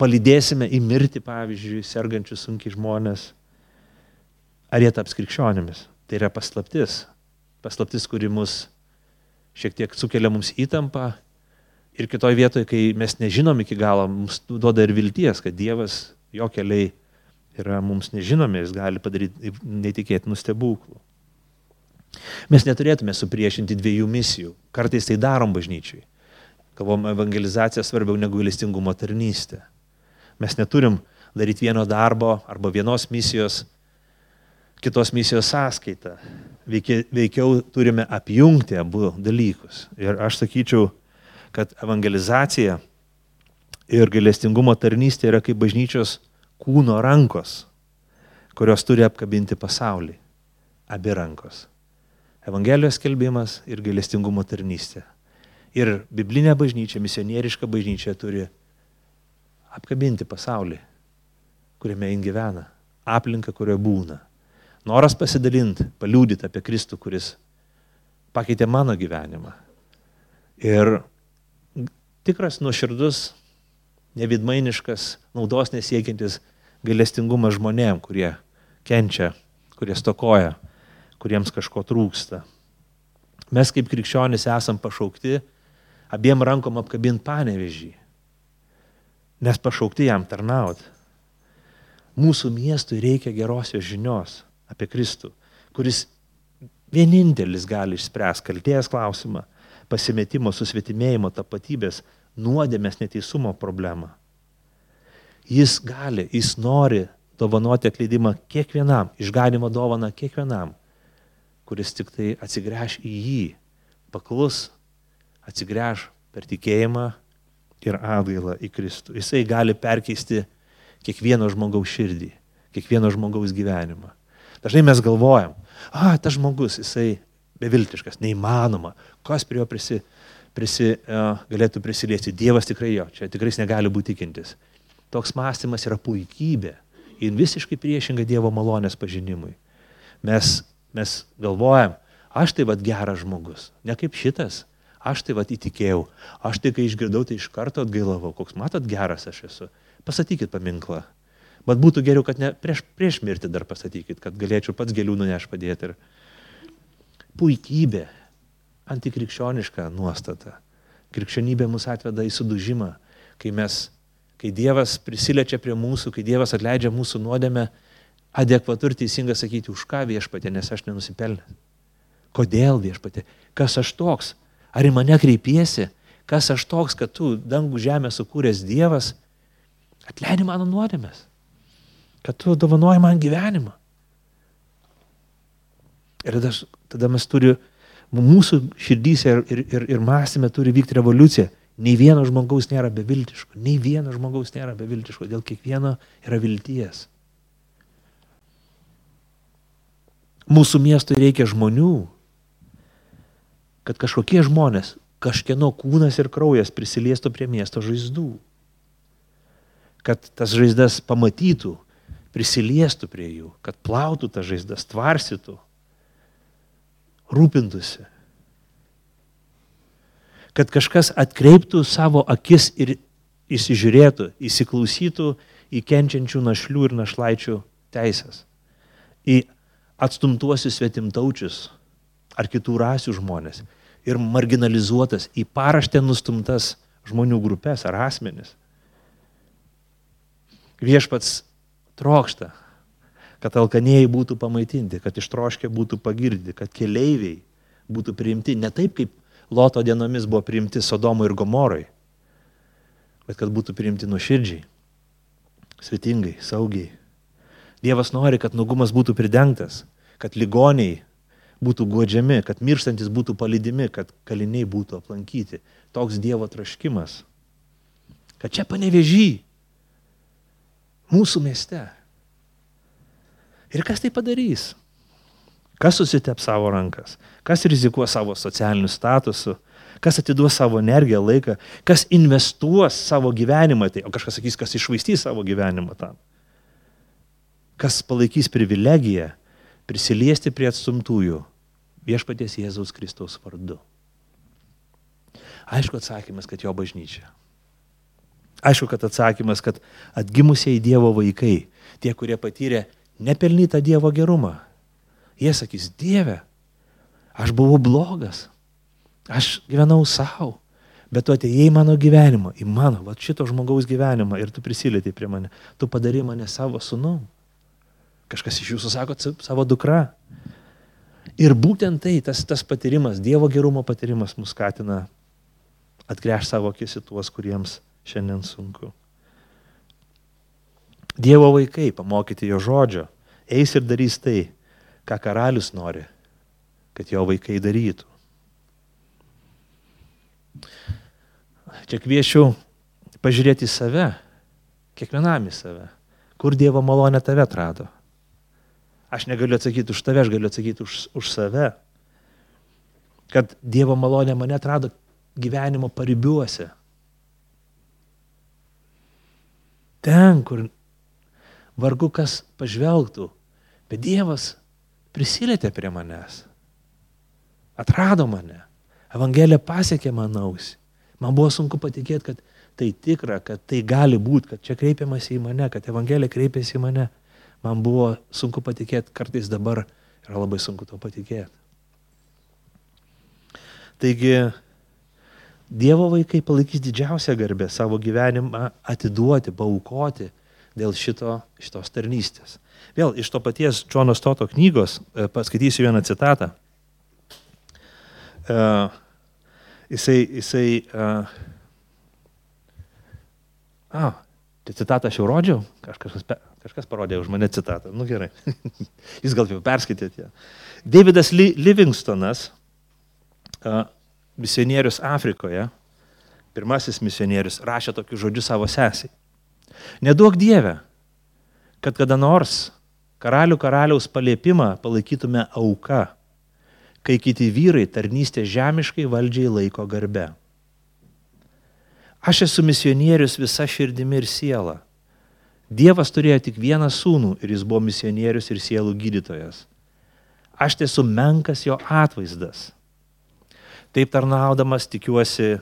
palydėsime į mirtį, pavyzdžiui, sergančius sunkiai žmonės, ar jie taps krikščionimis. Tai yra paslaptis. Paslaptis, kuri mus šiek tiek sukelia mums įtampą ir kitoj vietoje, kai mes nežinom iki galo, mums duoda ir vilties, kad Dievas, jo keliai yra mums nežinomi, jis gali padaryti neįtikėtinų stebuklų. Mes neturėtume supriešinti dviejų misijų. Kartais tai darom bažnyčiai. Kalbam, evangelizacija svarbiau negu gailestingumo tarnystė. Mes neturim daryti vieno darbo arba vienos misijos, kitos misijos sąskaitą. Veikiau turime apjungti abu dalykus. Ir aš sakyčiau, kad evangelizacija ir gailestingumo tarnystė yra kaip bažnyčios kūno rankos, kurios turi apkabinti pasaulį. Abi rankos. Evangelijos skelbimas ir gailestingumo tarnystė. Ir biblinė bažnyčia, misionieriška bažnyčia turi apkabinti pasaulį, kuriame jin gyvena, aplinką, kurioje būna. Noras pasidalinti, paliūdyti apie Kristų, kuris pakeitė mano gyvenimą. Ir tikras nuoširdus, nevidmainiškas, naudos nesiekiantis gailestingumas žmonėm, kurie kenčia, kurie stokoja, kuriems kažko trūksta. Mes kaip krikščionys esam pašaukti abiem rankom apkabinti Panevėžį, nes pašaukti jam tarnauti. Mūsų miestui reikia gerosios žinios apie Kristų, kuris vienintelis gali išspręsti kaltės klausimą, pasimetimo, susvetimėjimo, tapatybės, nuodėmės, neteisumo problemą. Jis gali, jis nori dovanoti atleidimą kiekvienam, išganimo dovaną kiekvienam, kuris tik tai atsigręš į jį, paklus, atsigręš per tikėjimą ir atgailą į Kristų. Jisai gali perkeisti kiekvieno žmogaus širdį, kiekvieno žmogaus gyvenimą. Dažnai mes galvojam, tas žmogus, jisai beviltiškas, neįmanoma, kas prie jo galėtų prisiliesti. Dievas tikrai jo, čia tikrai negali būti tikintis. Toks mąstymas yra puikybė ir visiškai priešinga Dievo malonės pažinimui. Mes galvojam, aš tai vat geras žmogus, ne kaip šitas, aš tai vat įtikėjau, aš tai kai išgirdau, tai iš karto atgailavau, koks matot geras aš esu. Pastatykit paminklą, bet būtų geriau, kad ne prieš mirtį dar pastatykit, kad galėčiau pats gėlių nuneš padėti. Ir puikybė, antikrikščioniška nuostata. Krikščionybė mus atveda į sudužimą, kai Dievas prisiliečia prie mūsų, kai Dievas atleidžia mūsų nuodėmę, adekvatu ir teisinga sakyti, už ką viešpatė, nes aš nenusipelnęs. Kodėl viešpatė? Kas aš toks? Ar į mane kreipiesi? Kas aš toks, kad tu dangų žemę sukūręs Dievas atleidi mano nuodėmės? Kad tu dovanoji man gyvenimą? Ir tada mes mūsų širdyse ir mąstyme turi vykti revoliucija. Nei vieno žmogaus nėra beviltiško. Nei vieno žmogaus nėra beviltiško. Dėl kiekvieno yra vilties. Mūsų miestui reikia žmonių, kad kažkokie žmonės, kažkieno kūnas ir kraujas prisiliestų prie miesto žaizdų. Kad tas žaizdas pamatytų, prisiliestų prie jų, kad plautų tas žaizdas, tvarsytų, rūpintųsi. Kad kažkas atkreiptų savo akis ir įsižiūrėtų, įsiklausytų į kenčiančių našlių ir našlaičių teisės, į atstumtuosius svetimtaučius ar kitų rasių žmonės, ir marginalizuotas, į paraštę nustumtas žmonių grupės ar asmenis. Viešpats trokšta, kad alkanieji būtų pamaitinti, kad ištroškę būtų pagirdyti, kad keleiviai būtų priimti ne taip, kaip Loto dienomis buvo priimti Sodomui ir Gomorai, bet kad būtų priimti nuoširdžiai, svetingai, saugiai. Dievas nori, kad nuogumas būtų pridengtas, kad ligoniai būtų guodžiami, kad mirštantis būtų palydimi, kad kaliniai būtų aplankyti. Toks Dievo troškimas. Kad čia Panevėžy, mūsų mieste. Ir kas tai padarys? Kas susitep savo rankas? Kas rizikuos savo socialiniu statusu? Kas atiduos savo energiją, laiką? Kas investuos savo gyvenimą? Tai, o kažkas sakys, kas iššvaistys savo gyvenimą tam? Kas palaikys privilegiją prisiliesti prie atstumtųjų viešpaties Jėzaus Kristaus vardu? Aišku atsakymas, kad jo bažnyčia. Aišku, kad atsakymas, kad atgimusiai Dievo vaikai, tie, kurie patyrė nepelnytą Dievo gerumą, jie sakys, Dieve, aš buvau blogas, aš gyvenau savo, bet tu atėjai į mano gyvenimą, į mano, va šito žmogaus gyvenimą ir tu prisilietei prie mane, tu padarai mane savo sūnum. Kažkas iš jūsų sako savo dukra. Ir būtent tai, tas patyrimas, Dievo gerumo patyrimas mus skatina atgręžti savo akis į tuos, kuriems šiandien sunku. Dievo vaikai, pamokyti jo žodžio, eis ir darys tai, ką karalius nori, kad jo vaikai darytų. Čia kviečiu pažiūrėti į save, kiekvienam į save, kur Dievo malonė tave atrado. Aš negaliu atsakyti už tave, aš galiu atsakyti už save. Kad Dievo malonė mane atrado gyvenimo paribiuose. Ten, kur vargu kas pažvelgtų, bet Dievas prisilietė prie manęs. Atrado mane. Evangelija pasiekė man ausį. Man buvo sunku patikėti, kad tai tikra, kad tai gali būti, kad čia kreipiamasi į mane, kad Evangelija kreipiasi į mane. Man buvo sunku patikėti, kartais dabar yra labai sunku to patikėti. Taigi, Dievo vaikai palaikys didžiausią garbę savo gyvenimą atiduoti, paaukoti dėl šitos tarnystės. Vėl iš to paties Džono Stoto knygos paskaitysiu vieną citatą. Tai citatą aš jau rodžiau, kažkas parodė už mane citatą. Nu gerai, jūs gal jau perskaitėte. Davidas Livingstonas, misionierius Afrikoje, pirmasis misionierius, rašė tokius žodžius savo sesiai. Neduok Dieve, kad kada nors karaliaus paliepimą palaikytume auka, kai kiti vyrai tarnystę žemiškai valdžiai laiko garbe. Aš esu misionierius visa širdimi ir siela. Dievas turėjo tik vieną sūnų ir jis buvo misionierius ir sielų gydytojas. Aš esu menkas jo atvaizdas. Taip tarnaudamas tikiuosi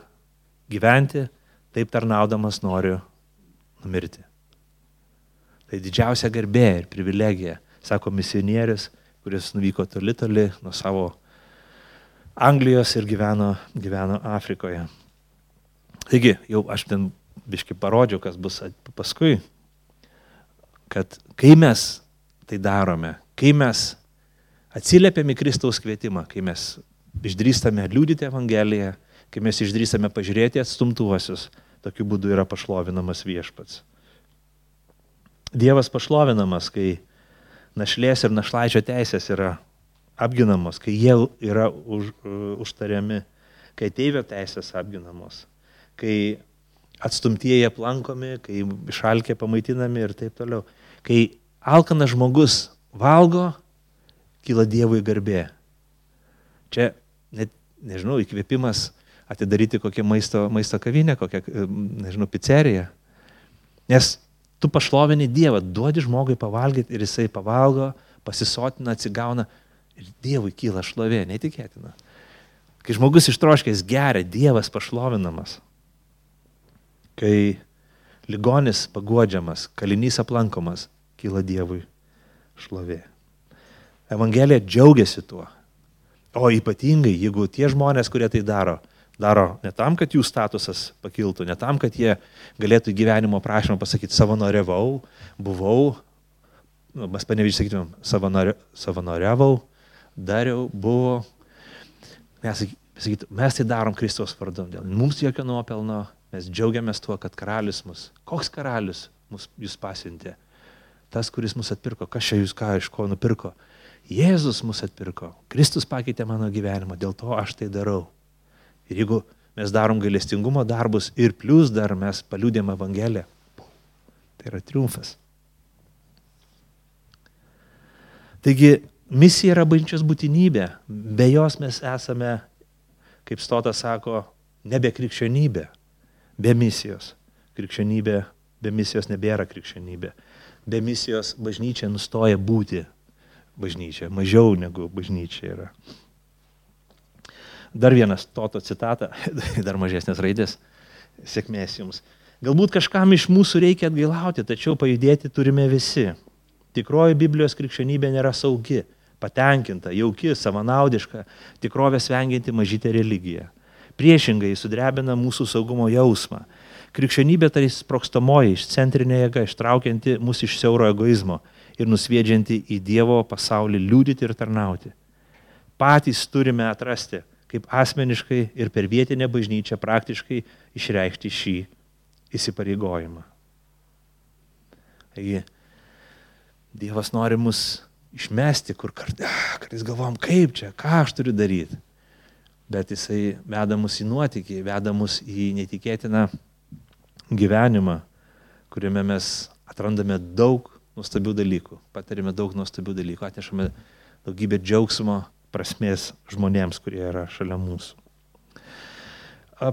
gyventi, taip tarnaudamas noriu numirti. Tai didžiausia garbė ir privilegija, sako misionierius, kuris nuvyko toli nuo savo Anglijos ir gyveno Afrikoje. Taigi, jau aš ten biškai parodžiau, kas bus paskui, kad kai mes tai darome, kai mes atsiliepiame Kristaus kvietimą, kai mes išdrįstame liudyti Evangeliją, kai mes išdrįstame pažiūrėti atstumtuosius, tokiu būdu yra pašlovinamas viešpats. Dievas pašlovinamas, kai našlės ir našlaičio teisės yra apginamos, kai jie yra užtariami, kai ateivio teisės apginamos, kai atstumtieji aplankomi, kai išalkę pamaitinami ir taip toliau. Kai alkanas žmogus valgo, kyla Dievui garbė. Čia, net, nežinau, įkvėpimas atidaryti kokią maisto kavinę, kokią, nežinau, pizzeriją. Nes tu pašlovini Dievą, duodi žmogui pavalgyti ir jisai pavalgo, pasisotina, atsigauna ir Dievui kyla šlovė, neįtikėtina. Kai žmogus ištroškęs geria, Dievas pašlovinamas. Kai ligonis paguodžiamas, kalinys aplankomas, kyla Dievui šlovė. Evangelija džiaugiasi tuo. O ypatingai, jeigu tie žmonės, kurie tai daro ne tam, kad jų statusas pakiltų, ne tam, kad jie galėtų gyvenimo prašymą pasakyti, savanoriavau, buvau, mes Panevėžy sakytumėm, savanoriavau, dariau, buvo. Mes tai darom Kristaus vardu. Mums jokio nuopelno, mes džiaugiamės tuo, kad karalius koks karalius jūs pasiuntė? Tas, kuris mus atpirko. Kas čia jūs iš ko nupirko? Jėzus mus atpirko. Kristus pakeitė mano gyvenimą, dėl to aš tai darau. Ir jeigu mes darom gailestingumo darbus ir plius dar mes paliudėm Evangeliją, tai yra triumfas. Taigi, misija yra bažnyčios būtinybė. Be jos mes esame, kaip Stotas sako, nebe krikščionybė, be misijos. Krikščionybė, be misijos nebėra krikščionybė. Be misijos bažnyčia nustoja būti bažnyčia, mažiau negu bažnyčia yra. Dar vienas Stoto citata, dar mažesnės raidės, sėkmės jums. Galbūt kažkam iš mūsų reikia atgailauti, tačiau pajudėti turime visi. Tikroji Biblijos krikščionybė nėra saugi, patenkinta, jauki, savanaudiška, tikrovės vengianti mažytė religija. Priešingai sudrebina mūsų saugumo jausmą. Krikščionybė tai sprogstamoji, išcentrinė jėga, ištraukianti mus iš siauro egoizmo ir nusviedžianti į Dievo pasaulį liudyti ir tarnauti. Patys turime atrasti, kaip asmeniškai ir per vietinę bažnyčią praktiškai išreikšti šį įsipareigojimą. Taigi, Dievas nori mus išmesti, kur kartais galvom, kaip čia, ką aš turiu daryti. Bet jisai veda mus į nuotykį, veda mus į netikėtiną gyvenimą, kuriame mes atrandame daug nuostabių dalykų, patirime daug nuostabių dalykų, atnešame daugybę džiaugsmo, prasmės žmonėms, kurie yra šalia mūsų.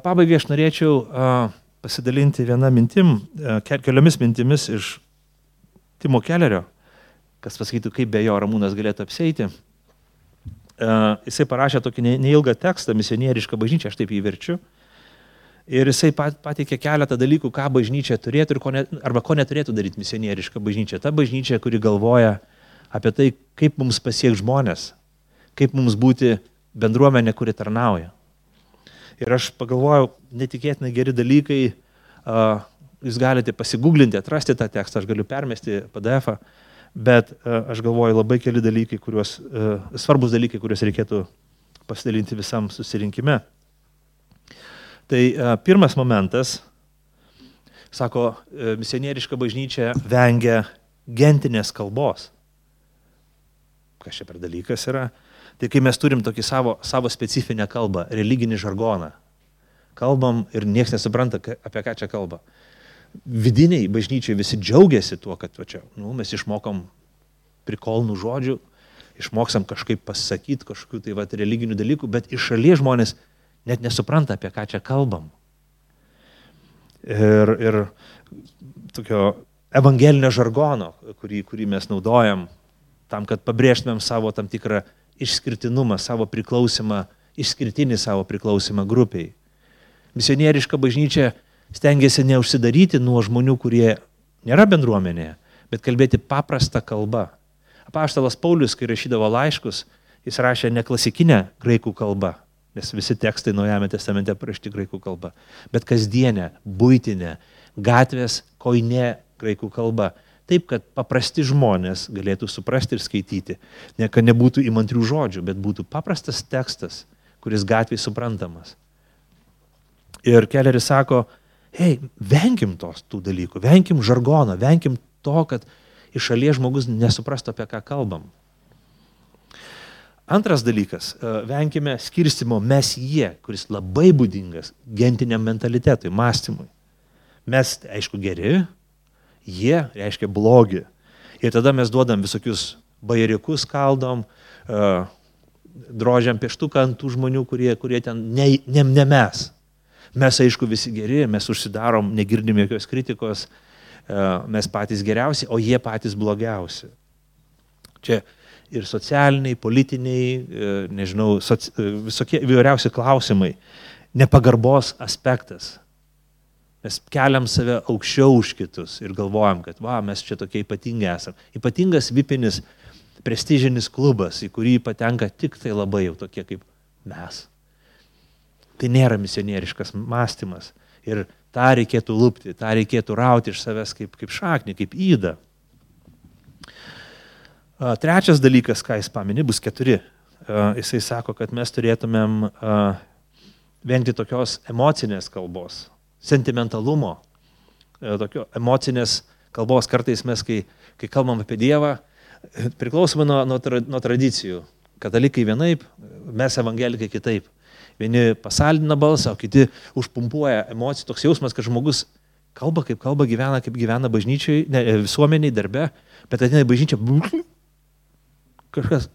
Pabaigai aš norėčiau pasidalinti keliomis mintimis iš Timo Kellerio, kas pasakytų, kaip be jo Ramūnas galėtų apsieiti. Jisai parašė tokį neilgą tekstą, misionierišką bažnyčią, aš taip jį verčiu. Ir jisai pateikė keletą dalykų, ką bažnyčia turėtų arba ko neturėtų daryti misionieriška bažnyčia. Ta bažnyčia, kuri galvoja apie tai, kaip mums pasiekti žmonės, kaip mums būti bendruomenė, kuri tarnauja. Ir aš pagalvojau, netikėtinai geri dalykai, jūs galite pasigūglinti, atrasti tą tekstą, aš galiu permesti PDF-ą, bet aš galvoju labai keli dalykai, svarbus dalykai, kuriuos reikėtų pasidalinti visam susirinkime. Tai pirmas momentas, sako, misionieriška bažnyčia vengia gentinės kalbos. Kas čia per dalykas yra? Tai kai mes turim tokį savo specifinę kalbą, religinį žargoną, kalbam ir niekas nesupranta, apie ką čia kalba. Vidiniai bažnyčiai visi džiaugiasi tuo, kad mes išmokom prikolnų žodžių, išmoksam kažkaip pasakyti kažkokių tai religinių dalykų, bet iš šalies žmonės net nesupranta, apie ką čia kalbam. Ir tokio evangelinio žargono, kurį mes naudojam tam, kad pabrėžtumėm savo tam tikrą išskirtinumą, savo priklausimą, išskirtinį savo priklausimą grupiai. Misionieriška bažnyčia stengiasi neužsidaryti nuo žmonių, kurie nėra bendruomenėje, bet kalbėti paprastą kalbą. Apaštalas Paulius, kai rašydavo laiškus, jis rašė ne klasikinę graikų kalbą, nes visi tekstai Naujajame testamente parašyti graikų kalba, bet kasdienę, buitinę, gatvės, koinė graikų kalba. Taip, kad paprasti žmonės galėtų suprasti ir skaityti. Ne, kad nebūtų įmantrių žodžių, bet būtų paprastas tekstas, kuris gatvėje suprantamas. Ir Kelleris sako, venkim tų dalykų, venkim žargoną, venkim to, kad iš šalies žmogus nesuprastų, apie ką kalbam. Antras dalykas, venkime skirstimo mes-jie, kuris labai būdingas gentiniam mentalitetui, mąstymui. Mes, aišku, geri, jie reiškia blogi. Ir tada mes duodam visokius bajeriukus, kaldom, drožiam pieštuką ant tų žmonių, kurie ten ne mes. Mes, aišku, visi geri, mes užsidarom, negirdim jokios kritikos, mes patys geriausi, o jie patys blogiausi. Čia ir socialiniai, politiniai, visokie įvairiausi klausimai, nepagarbos aspektas. Mes keliam save aukščiau už kitus ir galvojam, kad mes čia tokie ypatingi esam. Ypatingas vipinis prestižinis klubas, į kurį patenka tik tai labai jau tokie kaip mes. Tai nėra misionieriškas mąstymas. Ir tą reikėtų lupti, tą reikėtų rauti iš savęs kaip šaknį, kaip įdą. Trečias dalykas, ką jis paminė, bus 4. Jisai sako, kad mes turėtumėm vengti tokios emocinės kalbos, sentimentalumo, tokio emocinės kalbos. Kartais mes, kai kalbam apie Dievą, priklausomai nuo tradicijų. Katalikai vienaip, mes evangelikai kitaip. Vieni pasaldina balsą, o kiti užpumpuoja emocijų. Toks jausmas, kad žmogus kalba, kaip gyvena bažnyčiai, visuomeniai, darbe, bet ateina į bažnyčią, kažkas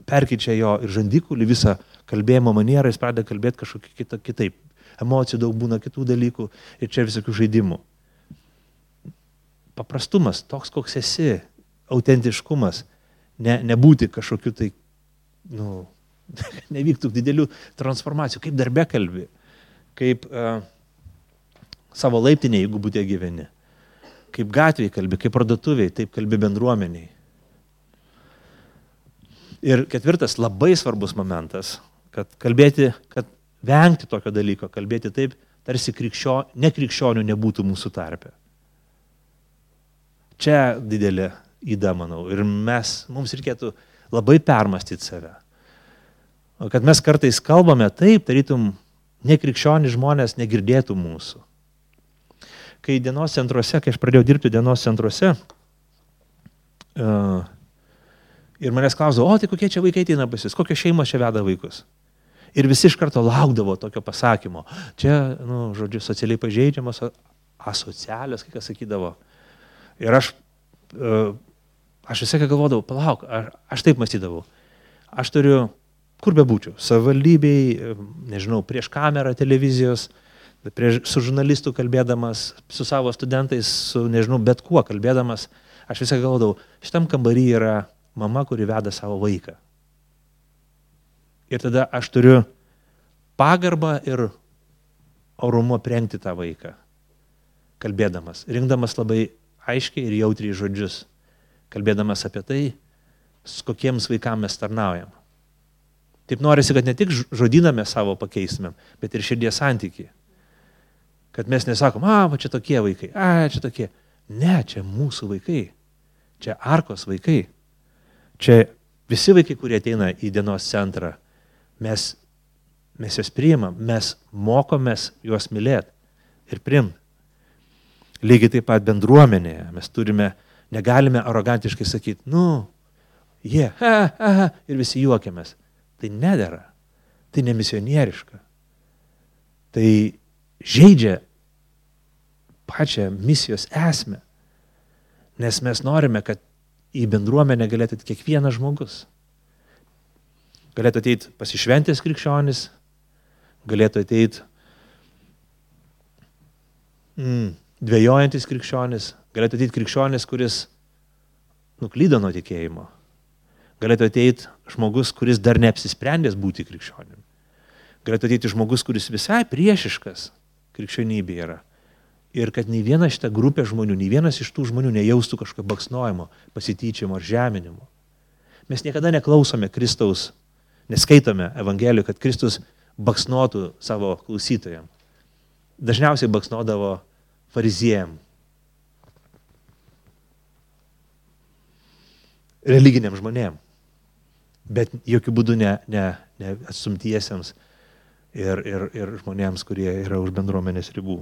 perkeičia jo ir žandikulį, visą kalbėjimo manierą, jis pradeda kalbėti kažkokį kitaip. Emocijų daug būna, kitų dalykų ir čia visokių žaidimų. Paprastumas, toks koks esi, autentiškumas, nebūti kažkokiu tai, nevyktų didelių transformacijų, kaip darbe kalbi, kaip savo laiptinėje, jeigu būtė gyveni, kaip gatvėje kalbi, kaip parduotuviai, taip kalbi bendruomeniai. Ir 4. labai svarbus momentas, kad vengti tokio dalyko, kalbėti taip, tarsi nekrikščionių nebūtų mūsų tarpe. Čia didelė įda, manau, ir mums reikėtų labai permastyti save. Kad mes kartais kalbame taip, tarytum nekrikščionių žmonės negirdėtų mūsų. Kai aš pradėjau dirbti dienos centruose, ir manęs klausdavo, tai kokie čia vaikai ateina pas jus, kokios šeimos čia veda vaikus. Ir visi iš karto laukdavo tokio pasakymo. Čia, socialiai pažeidžiamos, asocialios, kai kas sakydavo. Ir aš visą galvodavau, palauk, aš taip mąstydavau. Aš turiu, kur bebūčiau, savivaldybėj, nežinau, prieš kamerą televizijos, su žurnalistu kalbėdamas, su savo studentais, su, nežinau, bet kuo kalbėdamas, aš visą galvodavau, šitam kambarį yra mama, kuri veda savo vaiką. Ir tada aš turiu pagarbą ir orumo prengti tą vaiką, kalbėdamas, rinkdamas labai aiškiai ir jautriai žodžius, kalbėdamas apie tai, su kokiems vaikams mes tarnaujam. Taip norisi, kad ne tik žodyną mes savo pakeistumėm, bet ir širdies santykį. Kad mes nesakom, čia tokie vaikai, čia tokie. Ne, čia mūsų vaikai, čia Arkos vaikai. Čia visi vaikai, kurie ateina į dienos centrą, mes juos priimam, mes mokomės juos mylėti ir priimti. Lygiai taip pat bendruomenėje mes negalime arogantiškai sakyti, ir visi juokiamės. Tai nedera, tai nemisionieriška. Tai žaidžia pačią misijos esmę, nes mes norime, kad į bendruomenę galėtų ateiti kiekvienas žmogus. Galėtų ateiti pasišventęs krikščionis, galėtų ateiti dvejojantis krikščionis, galėtų ateiti krikščionis, kuris nuklydo nuo tikėjimo. Galėtų ateiti žmogus, kuris dar neapsisprendęs būti krikščionim. Galėtų ateiti žmogus, kuris visai priešiškas krikščionybė yra. Ir kad nei viena šita grupė žmonių, nei vienas iš tų žmonių nejaustų kažkokio baksnojimo, pasityčiamo ar žeminimo. Mes niekada neklausome Kristaus, neskaitome Evangelijų, kad Kristus baksnotų savo klausytojams. Dažniausiai baksnodavo fariziejam, religiniam žmonėm, bet jokių būdų ne atstumtiesiems ir žmonėms, kurie yra už bendruomenės ribų.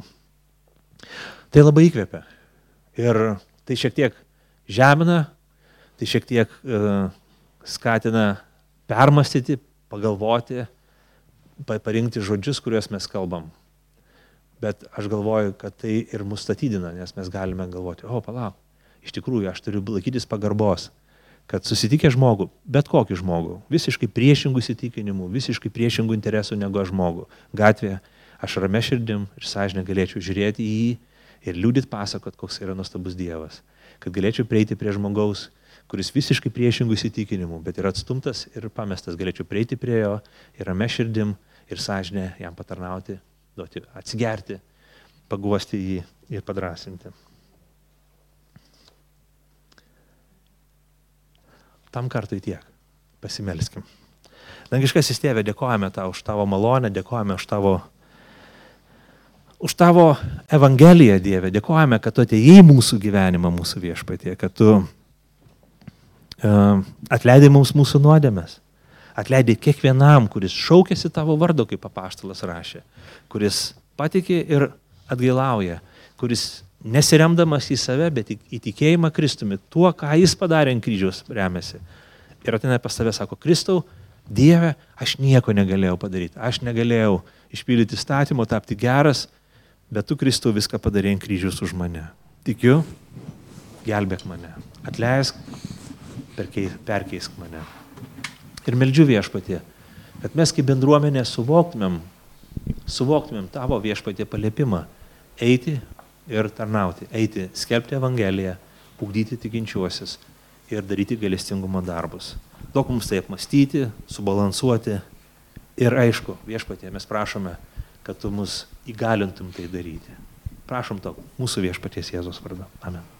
Tai labai įkvepia. Ir tai šiek tiek žemina, tai šiek tiek skatina permastyti, pagalvoti, parinkti žodžius, kuriuos mes kalbam. Bet aš galvoju, kad tai ir mus statydina, nes mes galime galvoti, palauk, iš tikrųjų aš turiu laikytis pagarbos, kad susitikę žmogų, bet kokį žmogų, visiškai priešingų įsitikinimų, visiškai priešingų interesų negu aš žmogų, gatvėje, aš ramia širdim ir sąžinė galėčiau žiūrėti į jį ir liūdit pasakot, koks yra nuostabus Dievas. Kad galėčiau prieiti prie žmogaus, kuris visiškai priešingų įsitikinimų, bet yra atstumtas ir pamestas, galėčiau prieiti prie jo ir ramia širdim ir sąžinė jam patarnauti, duoti, atsigerti, paguosti jį ir padrasinti. tam kartui tiek. Pasimelskim. Dangiškasis Tėve, dėkojame tau už tavo malonę, dėkojame už tavo Evangeliją, Dieve. Dėkojame, kad tu atėjai į mūsų gyvenimą, mūsų Viešpatie, kad tu atleidai mums mūsų nuodėmes. Atleidai kiekvienam, kuris šaukėsi tavo vardo, kaip apaštalas rašė, kuris patikė ir atgailauja, kuris nesiremdamas į save, bet į tikėjimą Kristumi, tuo, ką jis padarė ant kryžiaus remiasi. Ir ateina pas tave, sako, Kristau, Dieve, aš nieko negalėjau padaryti, aš negalėjau išpildyti įstatymo, tapti geras, bet tu, Kristau, viską padarė ant kryžiaus už mane. Tikiu, gelbėk mane, atleisk, perkeisk mane. Ir meldžiu Viešpatie, kad mes kaip bendruomenė suvoktumėm tavo Viešpatie paliepimą eiti ir tarnauti, eiti, skelbti Evangeliją, ugdyti tikinčiuosius ir daryti gailestingumo darbus. Daug mums tai apmastyti, subalansuoti ir aišku, Viešpatie, mes prašome, kad tu mus įgalintum tai daryti. Prašom to mūsų Viešpaties Jėzaus vardu. Amen.